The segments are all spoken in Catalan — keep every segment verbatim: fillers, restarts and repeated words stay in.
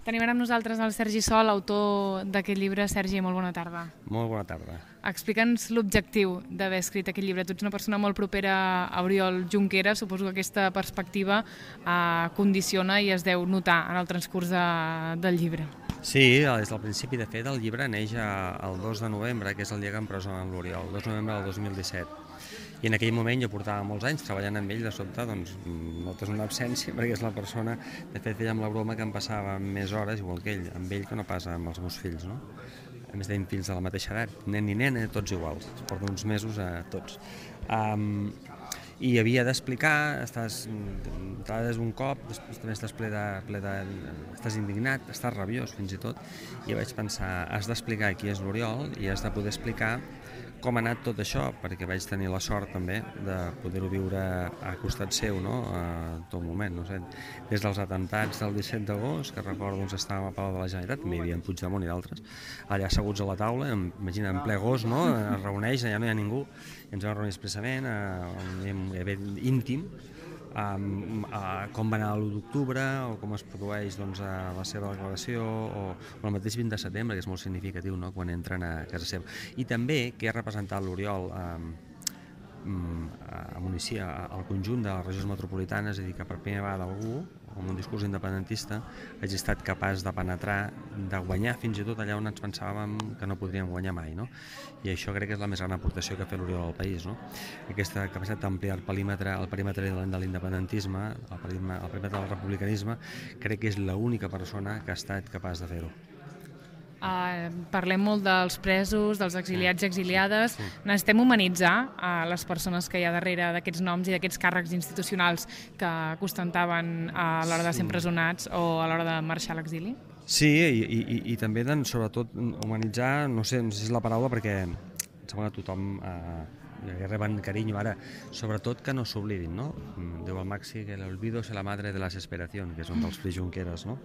Tenim ara amb nosaltres el Sergi Sol, autor d'aquest llibre. Sergi, molt bona tarda. Molt bona tarda. Explica'ns l'objectiu d'haver escrit aquest llibre. Tu ets una persona molt propera a Oriol Junqueras, suposo que aquesta perspectiva eh, condiciona i es deu notar en el transcurs de, del llibre. Sí, des del principi, de fet, el llibre neix el dos de novembre, que és el dia que empresonen l'Oriol, el dos de novembre del dos mil disset. I en aquell moment jo portava molts anys treballant amb ell, de sobte doncs, notes una absència, perquè és la persona, de fet fèiem la broma que em passava més hores, igual que ell, amb ell que no passa amb els meus fills, no? A més tenim fills de la mateixa edat, nen i nena, tots iguals, es porten uns mesos a tots. Um, I havia d'explicar, estàs entrades un cop, després també estàs ple de, ple de, estàs indignat, estàs rabiós fins i tot, i vaig pensar, has d'explicar qui és l'Oriol i has de poder explicar com ha anat tot això, perquè vaig tenir la sort també de poder-ho viure a costat seu, no? A tot moment, no sé, des dels atemptats del disset d'agost, que recordo doncs estàvem a Palau de la Generalitat, també hi havia en Puigdemont i d'altres, allà asseguts a la taula, imagina, en ple agost, no? Es reuneix, allà no hi ha ningú, i ens vam reunir expressament, un event íntim, Um, uh, com va anar l'u d'octubre o com es produeix doncs, uh, la seva declaració o, o el mateix vint de setembre, que és molt significatiu, no? Quan entren a casa seva. I també què ha representat l'Oriol um, um, a Municia, al conjunt de les regions metropolitanes, és a dir, que per primera vegada algú, amb un discurs independentista, hagi estat capaç de penetrar, de guanyar fins i tot allà on ens pensàvem que no podríem guanyar mai, no? I això crec que és la més gran aportació que ha fet l'Oriol al país, no? Aquesta capacitat d'ampliar el perímetre, el perímetre de l'independentisme, el perímetre, el perímetre del republicanisme, crec que és l'única persona que ha estat capaç de fer-ho. Uh, parlem molt dels presos, dels exiliats i exiliades. Sí, sí. Necessitem humanitzar uh, les persones que hi ha darrere d'aquests noms i d'aquests càrrecs institucionals que ostentaven uh, a l'hora de ser empresonats o a l'hora de marxar a l'exili? Sí, i, i, i també doncs, sobretot humanitzar, no sé, no sé si és la paraula, perquè em sembla que tothom eh, reben carinyo ara, sobretot que no s'oblidin, no? Diu el Maxi que l'olvido és la madre de la desesperació, que és un dels fills Junqueras, no?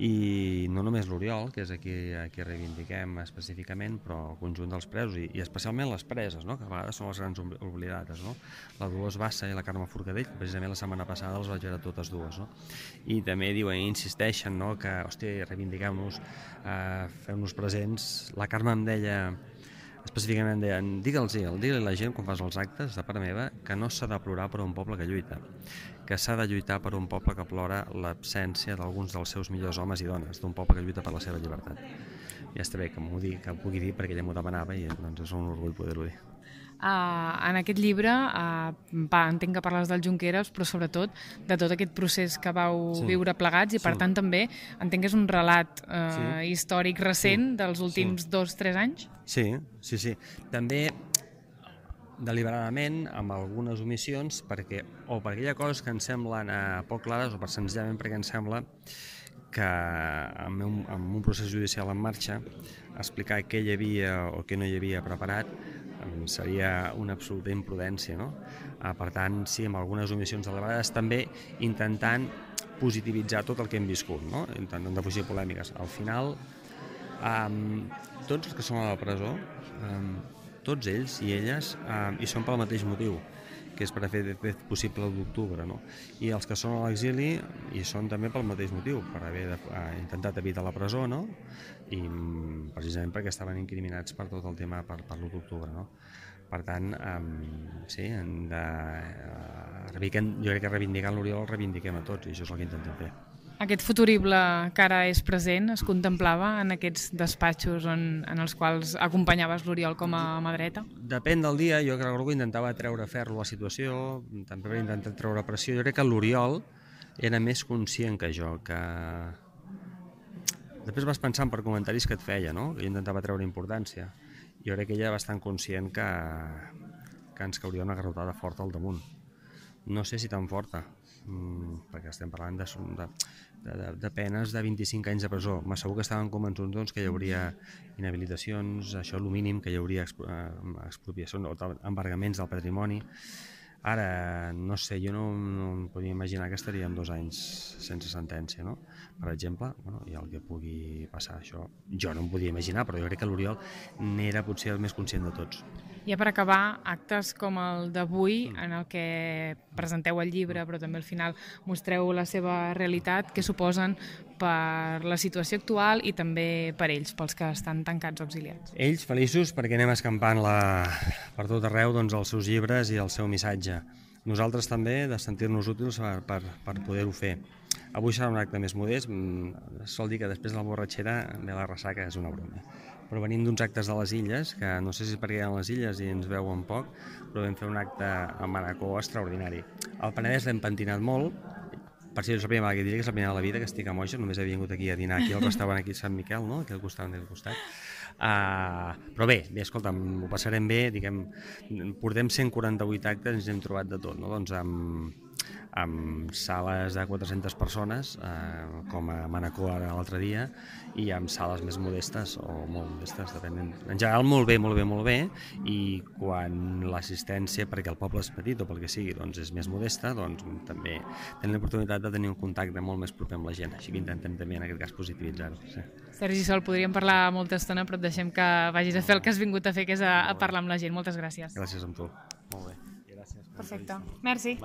I no només l'Oriol, que és a qui, a qui reivindiquem específicament, però el conjunt dels presos, i, i especialment les preses, no? Que a vegades són les grans oblidades, no? La Dolors Bassa i la Carme Forcadell, precisament la setmana passada les vaig veure totes dues, no? I també diuen, insisteixen, no? Que, hòstia, reivindiquem-nos, eh, fem-nos presents. La Carme em deia, específicament deien, digue'ls-hi, digue-li a la gent quan fas els actes de part meva que no s'ha de plorar per un poble que lluita, que s'ha de lluitar per un poble que plora l'absència d'alguns dels seus millors homes i dones, d'un poble que lluita per la seva llibertat. Ja està bé que m'ho digui, que ho pugui dir perquè ella m'ho demanava i doncs és un orgull poder-ho dir. Uh, en aquest llibre uh, va, entenc que parles del Junqueras, però sobretot de tot aquest procés que vau sí. viure plegats i per sí. tant també entenc que és un relat uh, sí. històric recent sí. dels últims sí. dos, tres anys. Sí, sí, sí. També deliberadament amb algunes omissions perquè, o perquè hi ha coses que ens semblen uh, poc clares o per senzillament perquè ens sembla que amb un, amb un procés judicial en marxa explicar què hi havia o què no hi havia preparat seria una absoluta imprudència, no? Per tant, sí, amb algunes omissions deliberades, també intentant positivitzar tot el que hem viscut, no? Intentant defugir polèmiques. Al final, um, tots els que són a la presó, um, tots ells i elles, um, hi són pel mateix motiu, que és per fer possible l'u d'octubre, no? I els que són a l'exili hi són també pel mateix motiu, per haver de, uh, intentat evitar la presó, no? I um, precisament perquè estaven incriminats per tot el tema per, per l'u d'octubre, no? Per tant, um, sí, hem de, uh, jo crec que reivindicant l'Oriol el reivindiquem a tots i això és el que intentem fer. Aquest futurible que ara és present es contemplava en aquests despatxos en, en els quals acompanyaves l'Oriol com a mà dreta? Depèn del dia, jo crec que intentava treure ferro a la situació, també va intentar treure pressió. Jo crec que l'Oriol era més conscient que jo, que després vas pensant per comentaris que et feia, no? Que intentava treure importància. Jo crec que ella era bastant conscient que, que ens cauria una garrotada forta al damunt. No sé si tan forta, perquè estem parlant de, de, de, de penes de vint-i-cinc anys de presó. M'assegur que estaven convençuts doncs, que hi hauria inhabilitacions, això el mínim, que hi hauria expropiacions o embargaments del patrimoni. Ara, no sé, jo no, no em podia imaginar que estaríem dos anys sense sentència, no? Per exemple, bueno, i el que pugui passar això, jo no em podia imaginar, però jo crec que l'Oriol n'era potser el més conscient de tots. Ja per acabar, actes com el d'avui, en el que presenteu el llibre, però també al final mostreu la seva realitat, què suposen per la situació actual i també per ells, pels que estan tancats o exiliats. Ells feliços perquè anem escampant la, per tot arreu doncs, els seus llibres i el seu missatge. Nosaltres també de sentir-nos útils per, per, per poder-ho fer. Avui serà un acte més modest, sol dir que després de la borratxera ve la ressaca, és una broma. Però venim d'uns actes de les Illes, que no sé si és perquè hi ha les Illes i ens veuen poc, però vam fer un acte a Manacor extraordinari. Al Penedès l'hem pentinat molt, per si és la primera vegada que diré que és la primera de la vida que estic a Moixes, només he vingut aquí a dinar aquí al restaurant aquí a Sant Miquel, no? Aquí al costat, al costat. Uh, però bé, bé, escolta'm, ho passarem bé, diguem, portem cent quaranta-vuit actes i ens hem trobat de tot, no? Doncs amb, amb sales de quatre-centes persones, eh, com a Manacor ara l'altre dia, i amb sales més modestes o molt modestes, depenent. En general molt bé, molt bé, molt bé, i quan l'assistència, perquè el poble és petit o pel que sigui, doncs és més modesta, doncs també tenim l'oportunitat de tenir un contacte molt més proper amb la gent, així que intentem també en aquest cas positivitzar-ho. Sí. Sergi Sol, podríem parlar molta estona, però et deixem que vagis a fer el que has vingut a fer, que és a, a parlar amb la gent. Moltes gràcies. Gràcies a tu. Molt bé. Gràcies. Perfecte. Merci.